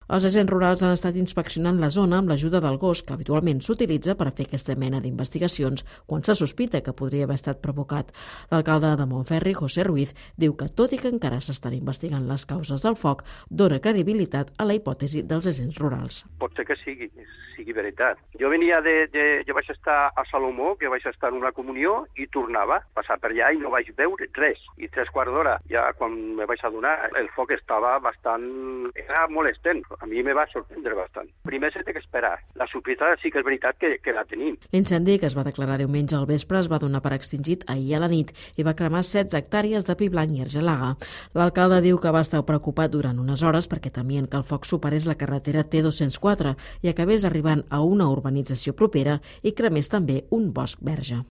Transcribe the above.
Els agents rurals han estat inspeccionant la zona amb l'ajuda del gos que habitualment s'utilitza per fer aquesta mena d'investigacions quan se sospita que podria haver estat provocat. L'alcalde de Montferri, José Ruiz, diu que tot i que encara s'estan investigant les causes del foc, dona credibilitat a la hipòtesi dels agents rurals. Pot ser que sigui veritat. Jo vaig estar a Salomó, que vaig estar en una comunió i tornava a passar per allà i no vaig veure res. I 3/4 d'hora, ja quan me vaig adonar, el foc estava era molestent. A mi me va sorprendre bastant. Primer s'ha d'esperar. La sospita sí que és veritat que la tenim. L'incendi, que es va declarar diumenge al vespre, es va donar per extingit ahir a la nit i va cremar 16 hectàrees de pi blanc i argelaga. L'alcalde diu que va estar preocupat durant unes hores perquè temien que el foc superés la carretera T204 i acabés arribant a una urbanització propera i cremés també un bosc verge.